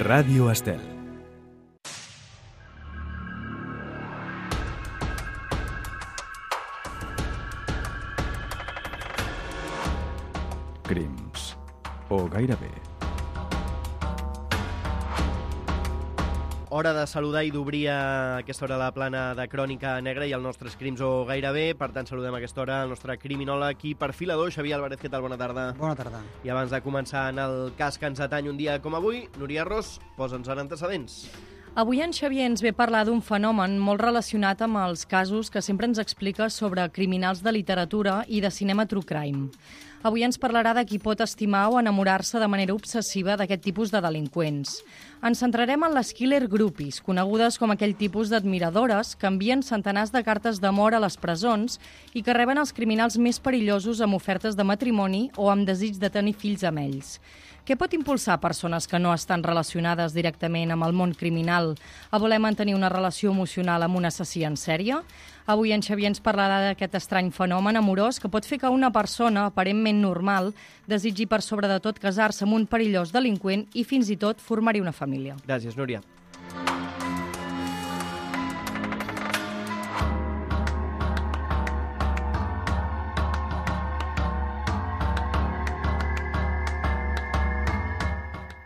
Ràdio Estel. Crims. O gairebé. Hora de saludar i d'obrir a aquesta hora la plana de Crònica Negra i els nostres crims o gairebé. Per tant, saludem a aquesta hora el nostre criminòleg i perfilador, Xavier Álvarez. Què tal? Bona tarda. Bona tarda. I abans de començar en el cas que ens atany un dia com avui, Núria Ros, posa'ns en antecedents. Avui en Xavier ens ve parlar d'un fenomen molt relacionat amb els casos que sempre ens explica sobre criminals de literatura i de cinema true crime. Avui ens parlarà de qui pot estimar o enamorar-se de manera obsessiva d'aquest tipus de delinqüents. Ens centrarem en les killer groupies, conegudes com aquell tipus d'admiradores que envien centenars de cartes d'amor a les presons i que reben els criminals més perillosos amb ofertes de matrimoni o amb desig de tenir fills amb ells. Què pot impulsar persones que no estan relacionades directament amb el món criminal a voler mantenir una relació emocional amb un assassí en sèrie? Avui en Xavier ens parlarà d'aquest estrany fenomen amorós que pot fer que una persona aparentment normal desitgi per sobre de tot casar-se amb un perillós delinqüent i fins i tot formar-hi una família. Gràcies, Núria.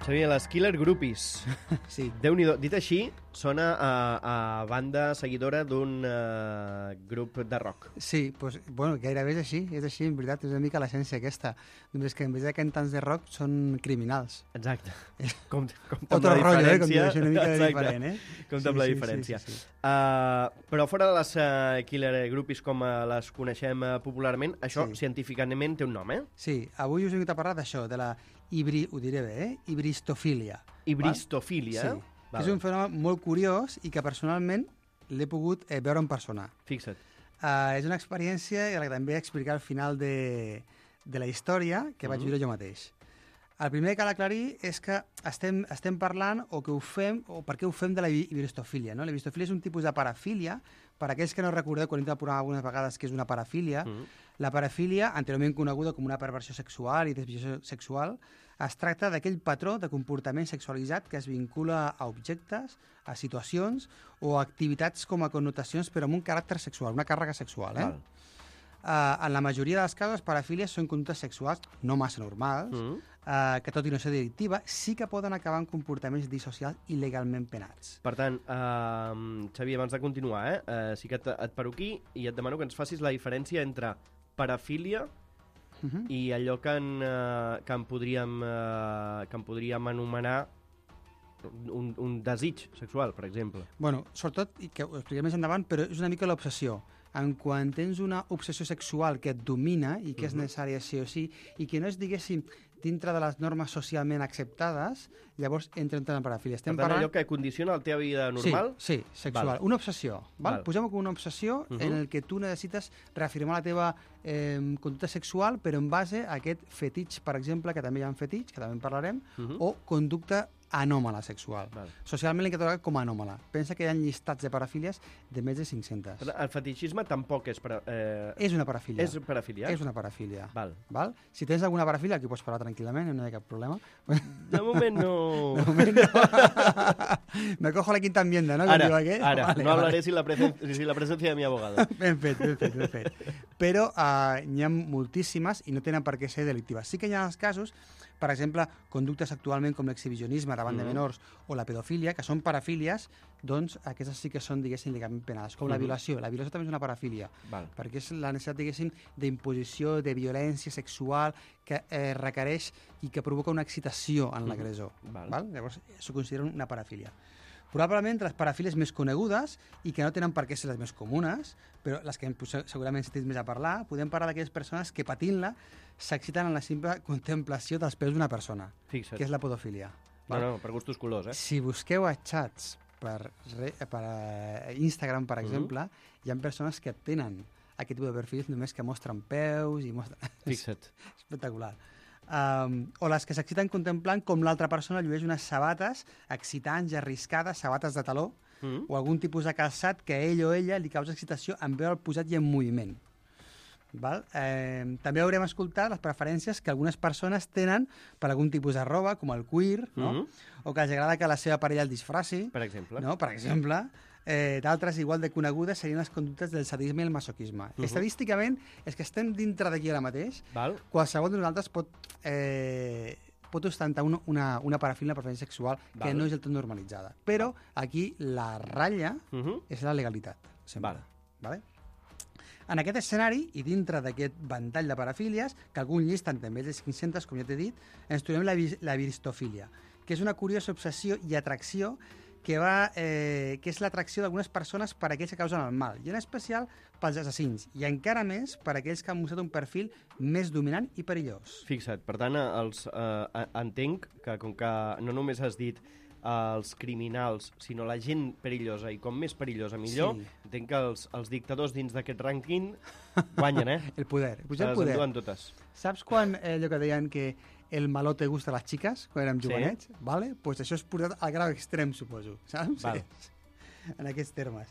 Xavier, les killer groupies. Sí. Déu-n'hi-do. Dit així, sona a banda seguidora d'un grup de rock. Sí, doncs, bueno, gairebé és així, en veritat, és una mica l'essència aquesta. Només que en vez de cantants de rock són criminals. Exacte. Com Otro la rotllo, diferència. com diu, això una mica Exacte. diferent, Com amb la diferència. Sí. Però fora de les killer groupies com les coneixem popularment, això científicament té un nom, Sí, avui us he vingut a parlar d'això, de la ho diré bé, hibristofília. Hibristofília? Sí, que és un fenomen molt curiós i que personalment l'he pogut veure en persona. Fixa't. És una experiència que també explicar al final de la història que vaig viure jo mateix. El primer que cal aclarir és que estem parlant o per què ho fem de la hibristofília. No? La hibristofília és un tipus de parafília. Per aquells que no recordeu, quan hem de provar algunes vegades que és una parafília, la parafília, anteriorment coneguda com una perversió sexual i desviació sexual, es tracta d'aquell patró de comportament sexualitzat que es vincula a objectes, a situacions o a activitats com a connotacions però amb un caràcter sexual, una càrrega sexual. En la majoria dels casos, les parafílies són conductes sexuals no massa normals, que tot i no ser delictiva, sí que poden acabar en comportaments dissocials il·legalment penats. Per tant, Xavier, abans de continuar, sí que et paro aquí i et demano que ens facis la diferència entre parafília i allò que en podríem anomenar un desig sexual, per exemple. Bueno, sobretot, i que ho expliquem més endavant, però és una mica l'obsessió. En quan tens una obsessió sexual que et domina i que és necessària sí o sí, i que no és, diguéssim, dintre de les normes socialment acceptades, llavors entra en parafília. Per tant, allò que condiciona la teva vida normal? Sí, sexual. Una obsessió. Posem-ho com una obsessió en el que tu necessites reafirmar la teva conducta sexual, però en base a aquest fetitx, per exemple, que també hi ha un fetitx, que també en parlarem, o conducta anòmala sexual. Socialment l'hem catalogat com a anòmala. Pensa que hi ha llistats de parafílies de més de 500. El fetitxisme tampoc és... És una parafília. És parafília? És una parafília. Val. Si tens alguna parafília, aquí pots parlar tranquil·lament, no hi ha cap problema. De moment no... De moment no. Me cojo la quinta enmienda, ¿no? Ara. No hablaré sin la presencia de mi abogado. Ben fet. Però n'hi ha moltíssimes i no tenen per què ser delictives. Sí que hi ha els casos, per exemple, conductes actualment com l'exhibicionisme davant de menors o la pedofília, que són parafílies, doncs aquestes sí que són, diguéssim, legalment penades. Com la violació. La violació també és una parafília, perquè és la necessitat, diguéssim, d'imposició, de violència sexual que requereix i que provoca una excitació en l'agressor. Llavors, s'ho considera una parafília. Probablement les parafílies més conegudes i que no tenen per què ser les més comunes, però les que segurament sentit més a parlar, podem parlar d'aquelles persones que patint-la s'exciten en la simple contemplació dels peus d'una persona, que és la podofília. No, per gustos colors, Si busqueu a xats per Instagram, per exemple, hi ha persones que tenen aquest tipus de perfils només que mostren peus i mostren... Fixa't. Espectacular. O les que s'exciten contemplant com l'altra persona llueix unes sabates excitants i arriscades, sabates de taló, o algun tipus de calçat que a ell o ella li causa excitació en veure el posat i en moviment. Val? També haurem escoltat les preferències que algunes persones tenen per algun tipus de roba, com el cuir, no? O que els agrada que la seva parella el disfraci. Per exemple. No? Per exemple. D'altres, igual de conegudes, serien les conductes del sadisme i el masoquisme. Estadísticament, és que estem dintre d'aquí ara mateix. Val. Qualsevol de nosaltres pot ostentar una parafília, una preferència sexual que no és del tot normalitzada. Però aquí la ratlla és la legalitat. Sempre. Vale? En aquest escenari, i dintre d'aquest ventall de parafílies, que alguns llisten també de 500, com ja t'he dit, ens trobem la viristofília, que és una curiosa obsessió i atracció que és l'atracció d'algunes persones per aquells que causen el mal, i en especial pels assassins, i encara més per aquells que han mostrat un perfil més dominant i perillós. Fixa't, per tant, entenc que com que no només has dit els criminals, sinó la gent perillosa, i com més perillosa millor, entenc que els dictadors dins d'aquest rànquing guanyen, El poder. Se les enduen totes. Saps quan allò que deien que el malo te gusta a les xiques, quan érem jovenets? Vale? Pues això és portat al grau extrem, suposo. Saps? Val. En aquests termes.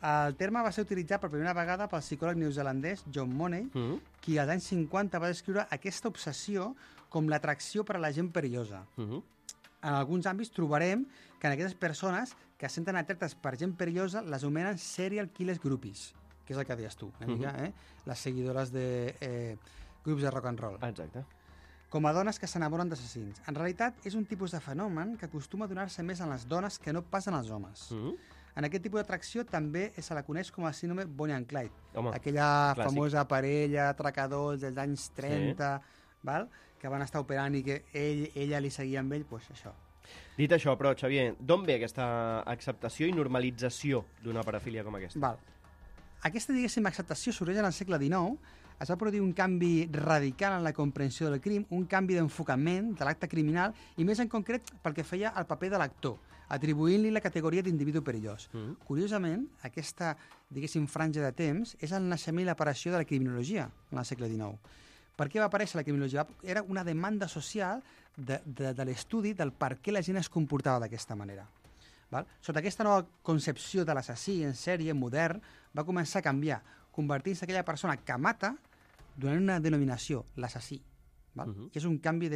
El terme va ser utilitzat per primera vegada pel psicòleg neozelandès John Money, qui als anys 50 va descriure aquesta obsessió com l'atracció per a la gent perillosa. En alguns àmbits trobarem que en aquestes persones que es senten atractes per gent perillosa les anomenen serial killers groupies, que és el que deies tu, una mica, les seguidores de grups de rock and roll. Exacte. Com a dones que s'enamoren d'assassins. En realitat, és un tipus de fenomen que acostuma a donar-se més en les dones que no pas en els homes. En aquest tipus d'atracció també se la coneix com el síndrome Bonnie and Clyde. Home, aquella clàssic. famosa parella, atracadors dels anys 30, val? Que van estar operant i que ella li seguia amb ell, doncs això. Dit això, però, Xavier, d'on ve aquesta acceptació i normalització d'una parafília com aquesta? Val. Aquesta, diguéssim, acceptació sorgeix en el segle XIX. Es va produir un canvi radical en la comprensió del crim, un canvi d'enfocament de l'acte criminal i més en concret pel que feia al paper de l'actor, atribuint-li la categoria d'individu perillós. Curiosament, aquesta, diguéssim, franja de temps és el naixement i l'aparició de la criminologia en el segle XIX. Per què va aparèixer la criminologia? Era una demanda social de l'estudi del per què la gent es comportava d'aquesta manera. Val? Sota aquesta nova concepció de l'assassí en sèrie modern va començar a canviar, convertint-se aquella persona que mata donant una denominació, l'assassí. Que és un canvi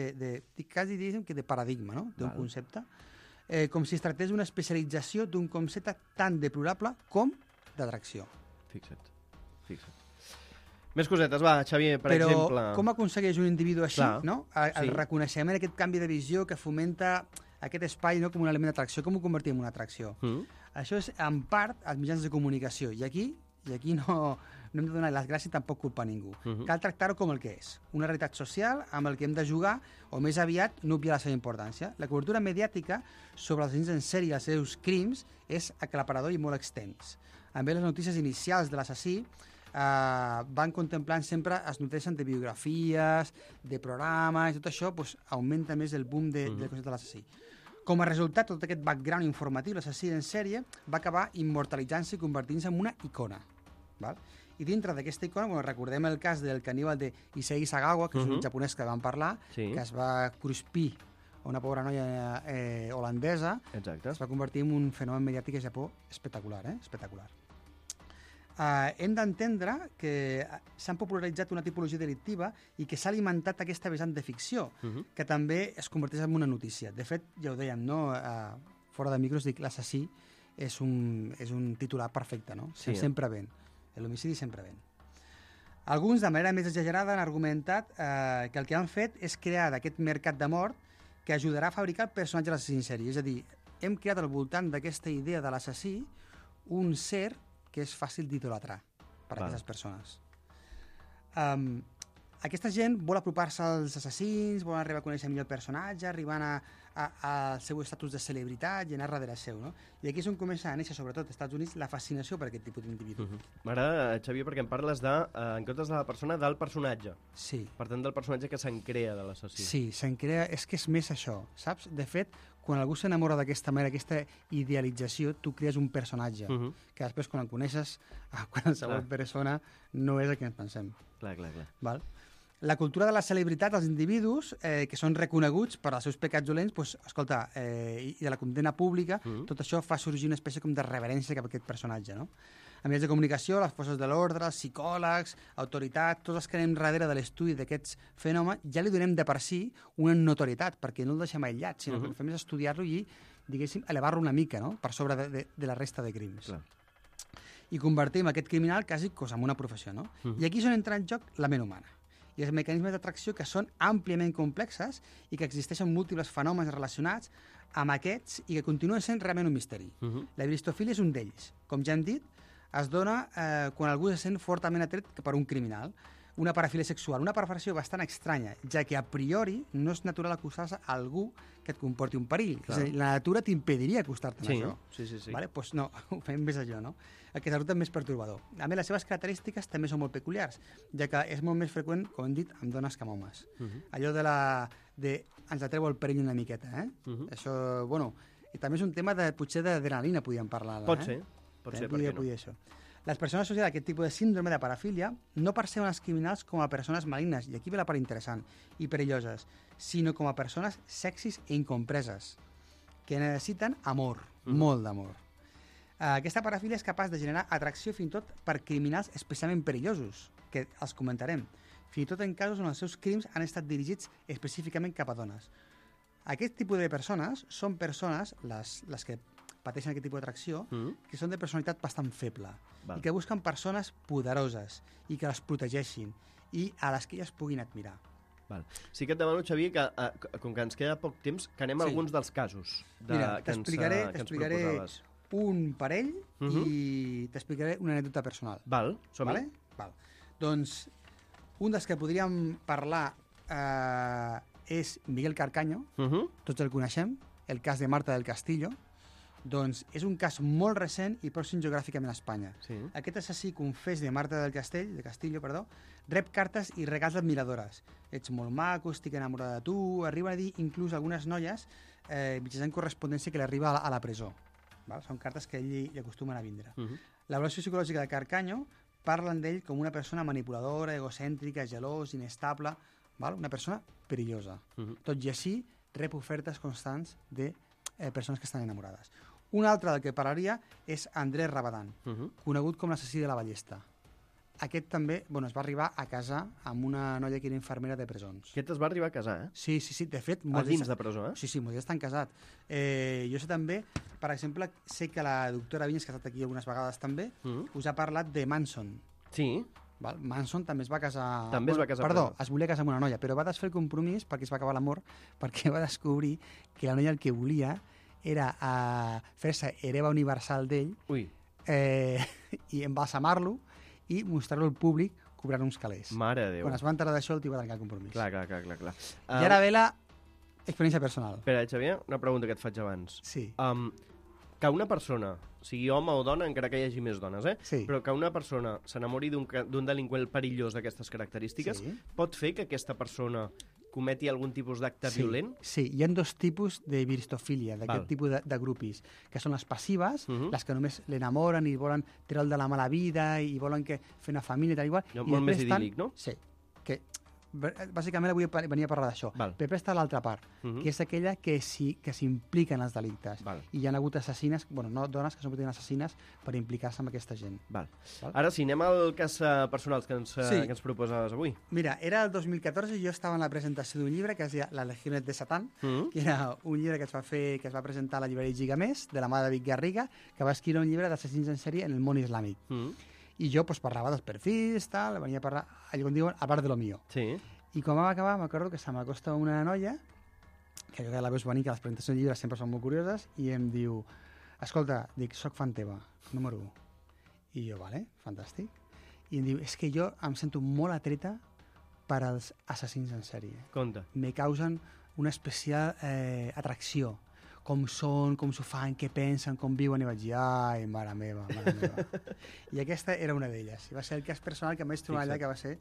quasi de paradigma, no? D'un concepte. Com si es tractés d'una especialització d'un concepte tan deplorable com d'atracció. Fixa't. Més cosetes, va, Xavier, per exemple... Però com aconsegueix un individu així, no? El reconeixement, aquest canvi de visió que fomenta aquest espai, no, com un element d'atracció, com ho convertim en una atracció? Això és, en part, els mitjans de comunicació. I aquí no hem de donar les gràcies, tampoc culpa a ningú. Cal tractar-ho com el que és. Una realitat social amb el que hem de jugar, o més aviat, no obviar la seva importància. La cobertura mediàtica sobre els assassins en sèrie i els seus crims és aclaparador i molt extens. Amb les notícies inicials de l'assassí van contemplant sempre, es nodreixen de biografies, de programes, i tot això augmenta més el boom del concepte de l'assassí. Com a resultat, tot aquest background informatiu, l'assassí en sèrie va acabar immortalitzant-se i convertint-se en una icona. Val? I dintre d'aquesta icona, recordem el cas del caníbal de Issei Sagawa, que és un japonès que vam parlar, que es va cruspir a una pobra noia holandesa. Exacte. Es va convertir en un fenomen mediàtic a Japó espectacular, espectacular. Hem d'entendre que s'han popularitzat una tipologia delictiva i que s'ha alimentat aquesta vessant de ficció, que també es converteix en una notícia. De fet, ja ho dèiem, no? Fora de micros, dic, l'assassí és un titular perfecte, no? Sempre ven. L'homicidi sempre ven. Alguns, de manera més exagerada, han argumentat que el que han fet és crear d'aquest mercat de mort que ajudarà a fabricar el personatge de l'assassí en sèrie. És a dir, hem creat al voltant d'aquesta idea de l'assassí un ser que és fàcil d'idolatrar per a aquestes persones. Aquesta gent vol apropar-se als assassins, vol arribar a conèixer millor el personatge, arribant al seu estatus de celebritat i anar darrere seu, no? I aquí és on comença a néixer, sobretot als Estats Units, la fascinació per aquest tipus d'individu. M'agrada, Xavier, perquè em parles en comptes de la persona, del personatge. Sí. Per tant, del personatge que se'n crea de l'assassí. Sí, se'n crea... És que és més això, saps? De fet, quan algú s'enamora d'aquesta manera, aquesta idealització, tu crees un personatge, que després, quan el coneixes, a qualsevol persona, no és el que ens pensem. Clar. Val? La cultura de la celebritat dels individus, que són reconeguts per als seus pecats dolents, doncs, escolta, i de la condemna pública, tot això fa sorgir una espècie com de reverència cap a aquest personatge, no? Els mitjans de comunicació, les forces de l'ordre, els psicòlegs, autoritats, tots els que anem darrere de l'estudi d'aquests fenòmens, ja li donem de per si una notorietat, perquè no el deixem aïllat, sinó que el que fem és estudiar-lo i, diguéssim, elevar-lo una mica, no?, per sobre de la resta de crims. Clar. I convertim aquest criminal quasi en una professió, no? I aquí és on entra en joc la ment humana i els mecanismes d'atracció que són àmpliament complexes i que existeixen múltiples fenòmens relacionats amb aquests i que continuen sent realment un misteri. La viristofília és un d'ells. Com ja hem dit, es dona quan algú se sent fortament atret per un criminal. Una parafília sexual, una perversió bastant estranya, ja que a priori no és natural acostar-se a algú que et comporti un perill. És a dir, la natura t'impediria acostar-te a això. Sí. Vale? Pues no, ho fem més allò, no? El que és resulta més pertorbador. A més, les seves característiques també són molt peculiars, ja que és molt més freqüent, com hem dit, amb dones que amb homes. Allò ens atreu el perill una miqueta, eh? Això, bueno, i també és un tema potser d'adrenalina, podríem parlar. Pot ser, per què no? Això. Les persones associades a aquest tipus de síndrome de parafília no perceben els criminals com a persones malignes, i aquí ve la part interessant, i perilloses, sinó com a persones sexis i incompreses, que necessiten amor, molt d'amor. Aquesta parafília és capaç de generar atracció fins i tot per criminals especialment perillosos, que els comentarem, fins i tot en casos on els seus crims han estat dirigits específicament cap a dones. Aquest tipus de persones són persones, les que pateixen aquest tipus d'atracció, que són de personalitat bastant feble i que busquen persones poderoses i que les protegeixin i a les que elles puguin admirar. Sí que et demano, Xavier, que com que ens queda poc temps, que anem a alguns dels casos que ens proposaves. Un parell i t'explicaré una anècdota personal. Som-hi. Doncs un dels que podríem parlar és Miguel Carcaño, tots el coneixem, el cas de Marta del Castillo. Doncs és un cas molt recent i pròxim geogràficament a Espanya. Aquest assassí confés de Marta del Castillo, rep cartes i regals d'admiradores. Ets molt maco, estic enamorada de tu, arriben a dir inclús algunes noies mitjançant correspondència que li arriba a la presó. Són cartes que ell li acostumen a vindre. L'avaluació psicològica de Carcaño parlen d'ell com una persona manipuladora, egocèntrica, gelós, inestable, una persona perillosa. Tot i així, rep ofertes constants de persones que estan enamorades. Un altre del que parlaria és Andrés Rabadán, conegut com l'assassí de la Ballesta. Aquest també es va arribar a casar amb una noia que era infermera de presons. Aquest es va arribar a casar, eh? Sí, de fet... A dins de presó, eh? Sí, molts estan casats. Jo sé també, per exemple, sé que la doctora Vinyes, que ha estat aquí algunes vegades també, us ha parlat de Manson. Sí. Manson també es va casar... Perdó, es volia casar amb una noia, però va desfer el compromís perquè es va acabar l'amor, perquè va descobrir que la noia el que volia era fer-se hereva universal d'ell i embalsamar-lo i mostrar-lo al públic cobrant uns calés. Mare de Déu. Quan es va enterar d'això, el tio va trencar el compromís. Clar. I ara ve la experiència personal. Espera, Xavier, una pregunta que et faig abans. Sí. Que una persona, sigui home o dona, encara que hi hagi més dones, però que una persona s'enamori d'un delinqüent perillós d'aquestes característiques, pot fer que aquesta persona cometi algun tipus d'acte violent? Sí, hi ha dos tipus de viristofília, d'aquest tipus de grupis, que són les passives, les que només l'enamoren i volen treure'l de la mala vida i volen fer una família i tal igual. Molt més idíl·lic, no? Sí, que bàsicament avui venia a parlar d'això. Però després està l'altra part, que és aquella que s'implica en els delictes. I hi ha hagut assassines, no dones que són assassines per implicar-se amb aquesta gent. Ara sí, anem al cas personal que ens proposes avui. Mira, era el 2014 i jo estava en la presentació d'un llibre que es deia La Legiones de Satán, que era un llibre que es va presentar a la llibreria Gigamés, de la mà de David Garriga, que va escriure un llibre d'assassins en sèrie en el món islàmic. I jo parlava dels perfils, venia a parlar, allò com diuen, a part de lo mío. I quan vam acabar, m'acordo que se m'acosta una noia, que jo la veus venir, que les presentacions de llibres sempre són molt curioses, i em diu, escolta, soc fan teva, número 1. I jo, vale, fantàstic. I em diu, és que jo em sento molt atreta per als assassins en sèrie. Conta. Me causen una especial atracció. Com són, com s'ho fan, què pensen, com viuen, i vaig dir, ai, mare meva. I aquesta era una d'elles. I va ser el cas personal que em vaig trobar allà, que va ser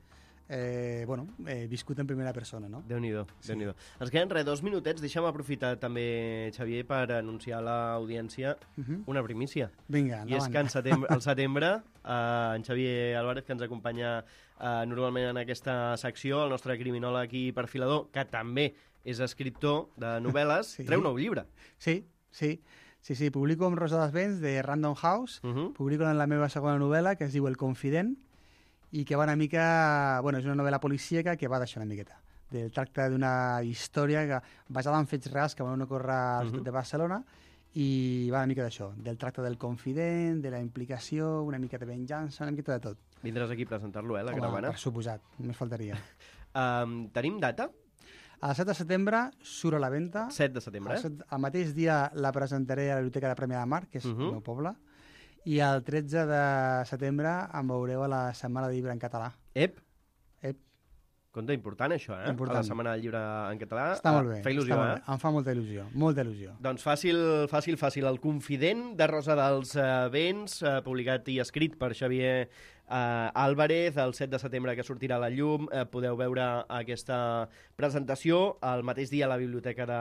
viscut en primera persona, no? Déu-n'hi-do, Déu-n'hi-do. Ens queden 2 minutets, deixa'm aprofitar també, Xavier, per anunciar a l'audiència una primícia. Vinga, endavant. I és que al setembre, en Xavier Álvarez, que ens acompanya normalment en aquesta secció, el nostre criminòleg i perfilador, que també és escriptor de novel·les, treu nou llibre. Sí. Sí, publico amb Rosa dels Vents, de Random House, publico en la meva segona novel·la, que es diu El confident, i que va una mica... Bueno, és una novel·la policíaca que va d'això una miqueta. Del tracte d'una història basada en fets reals que van ocórrer a la ciutat de Barcelona, i va una mica d'això, del tracte del confident, de la implicació, una mica de venjança, una mica de tot. Vindràs aquí a presentar-lo, la caravana? Per suposat, només faltaria. Tenim data? El 7 de setembre surt a la venda. 7 de setembre, El mateix dia la presentaré a la Biblioteca de Premià de Mar, que és el meu poble, i el 13 de setembre em veureu a la Setmana de Llibre en Català. Ep! Compte, important això, Important. A la Setmana del Llibre en Català. Està molt bé. Fa il·lusió, Em fa molta il·lusió, molta il·lusió. Doncs fàcil. El confident de Rosa dels Vents, publicat i escrit per Xavier Álvarez, el 7 de setembre que sortirà a la llum. Podeu veure aquesta presentació el mateix dia a la Biblioteca de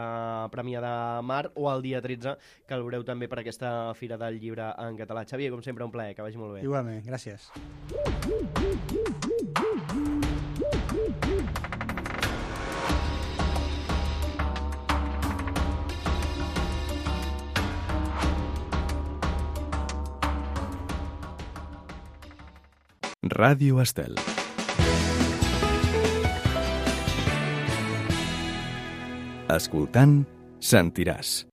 Premià de Mar o el dia 13, que el veureu també per aquesta Fira del Llibre en Català. Xavier, com sempre, un plaer, que vagi molt bé. Igualment, gràcies. Ràdio Estel. Escoltant, sentiràs.